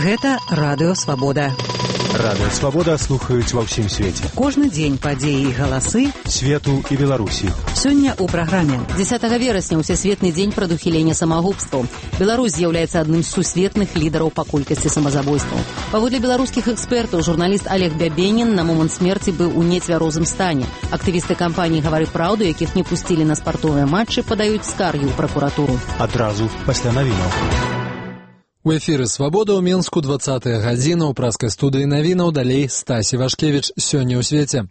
Гэта Радыё Свабода. Радыё Свабода слухаюць ва ўсім свеце. Кожны дзень падзеі і галасы свету і Беларусі. Сёння ў праграме. 10 верасня ўсесветны дзень прадухілення самагубстваў. Беларусь з'яўляецца адным з сусветных лідараў па колькасці самазабойстваў. Паводле беларускіх экспертаў, журналіст Олег Бябенін на момант смерці быў у нецвярозым стане. Актывісты кампаніі «Гавары праўду», якіх не пусцілі на спартовыя матчы, падаюць скаргі ў пракуратуру. Адразу пасля навінаў. У эфіры «Свабода» ў Менску 20-я гадзіна. У праскай студыі навінаў далей Стасі Вашкевіч. Сёння ў свеце.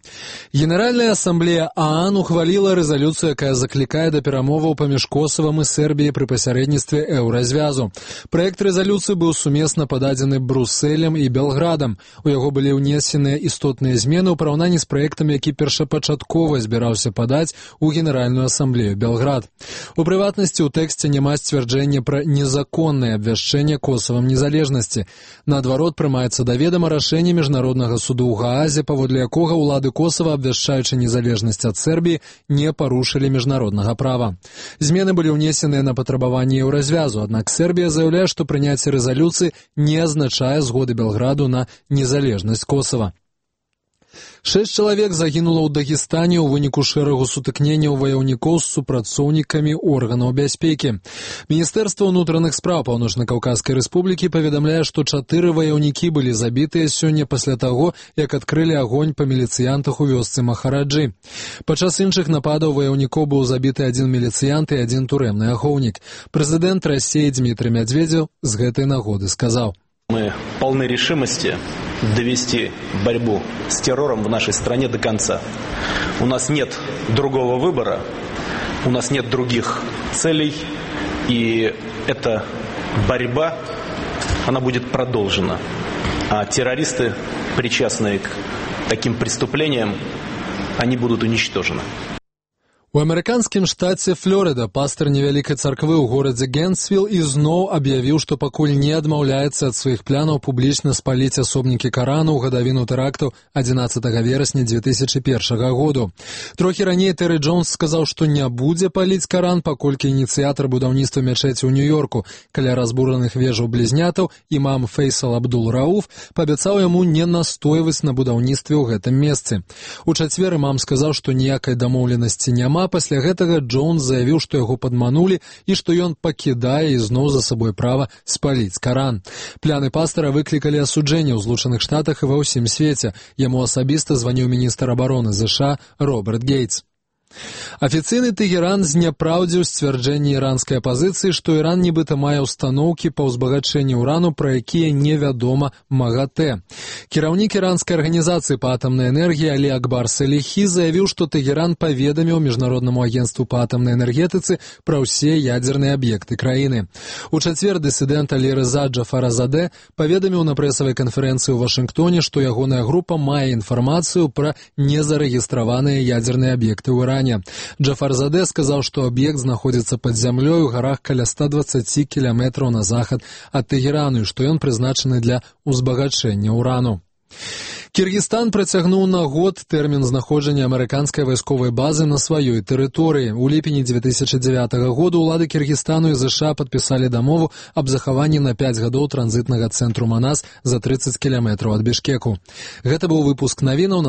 Генеральная асамблея ААН ухваліла рэзалюцыю, якая заклікае да перамоваў паміж Косавам і Сербіяй пры пасярэдніцтве еўразвязу. Праект рэзалюцыі быў сумесна пададзены Брусэлем і Белградам. У яго былі ўнесеныя істотныя змены ў параўнанні з праектам, які першапачаткова збіраўся падаць у Генеральную асамблею Белград. У прыватнасці ў тэксце няма сцвярджэння пра незаконнае абвяшчэнне Косавам незалежнасці. Наадварот, прымаецца да ведама рашэнне Міжнароднага суду ў Гаазе, паводле якога ўлады Косава, абвяшчаючы незалежнасць ад Сербіі, не парушылі міжнароднага права. Змены былі ўнесеныя на патрабаванні еўразвязу, аднак Сербія заяўляе, што прыняцце рэзалюцыі не азначае згоды Белграду на незалежнасць Косава. 6 чалавек загінула ў Дагестане ў выніку шэрагу сутыкненняў ваяўнікоў з супрацоўнікамі органаў бяспекі. Міністэрства ўнутраных спраў Паўночна-Каўказскай рэспублікі паведамляе, што 4 ваяўнікі былі забітыя сёння пасля таго, як адкрылі агонь па міліцыянтах у вёсцы Махараджы. Падчас іншых нападаў ваяўнікоў быў забіты 1 міліцыянт і 1 турэмны ахоўнік. Прэзідэнт Расіі Дмітрий Медведев з гэтай нагоды сказаў: «Мы полны решимости довести борьбу с террором в нашей стране до конца. У нас нет другого выбора, у нас нет других целей, и эта борьба, она будет продолжена. А террористы, причастные к таким преступлениям, они будут уничтожены». У амерыканскім штаце Флорыда пастар невялікай царквы ў горадзе Генсвилл ізноў аб'явіў, што пакуль не адмаўляецца ад сваіх планаў публічна спаліць асобнікі Карана ў гадавіну тэракту 11 верасня 2001 году. Трохі раней Тэры Джонс сказаў, што не будзе паліць Каран, паколькі ініцыятар будаўніцтва мячэці ў Нью-Йорку каля разбураных вежаў блізнятаў імам Фейсал Абдул-Рауф паабяцаў яму не настойваць на будаўніцтве ў гэтым месцы. У чацвер імам сказаў, што ніякай дамоўленасці няма. Пасля гэтага Джонс заявіў, што яго падманулі і што ён пакідае ізноў за сабой права спаліць Каран. Пляны пастара выклікалі асуджэнне ў Злучаных Штатах і ва ўсім свеце. Яму асабіста званіў міністр абароны ЗША Роберт Гейтс. Афіцыйны Тэгеран зняпраўдзіў сцвярджэнне іранскай апазіцыі, што Іран нібыта мае ўстаноўкі па ўзбагачэнні ўрану, пра якія невядома МАГАТЭ. Кіраўнік іранскай арганізацыі па атамнай энергіі Алі Акбар Саліхі заявіў, што Тэгеран паведаміў Міжнароднаму агенцтву па атамнай энергетыцы пра ўсе ядзерныя аб'екты краіны. У чацвер дысідэнт Алі Рыза Джафаразадэ паведаміў на прэсавай канферэнцыі ў Вашынгтоне, што ягоная група мае інфармацыю пра незарэгістраваныя ядзерныя аб'екты ў Іране. Джафарзадэ сказаў, што аб'ект знаходзіцца пад зямлёй у гарах каля 120 кіламетраў на захад ад Тэгерану, і што ён прызначаны для ўзбагачэння ўрану. Кіргізстан працягнуў на год тэрмін знаходжання амерыканскай вайсковай базы на сваёй тэрыторыі. У ліпені 2009 году ўлады Кіргізстану і ЗША падпісалі дамову аб захаванні на 5 гадоў транзітнага цэнтру Манас за 30 кіламетраў ад Бішкеку. Гэта быў выпуск навінаў.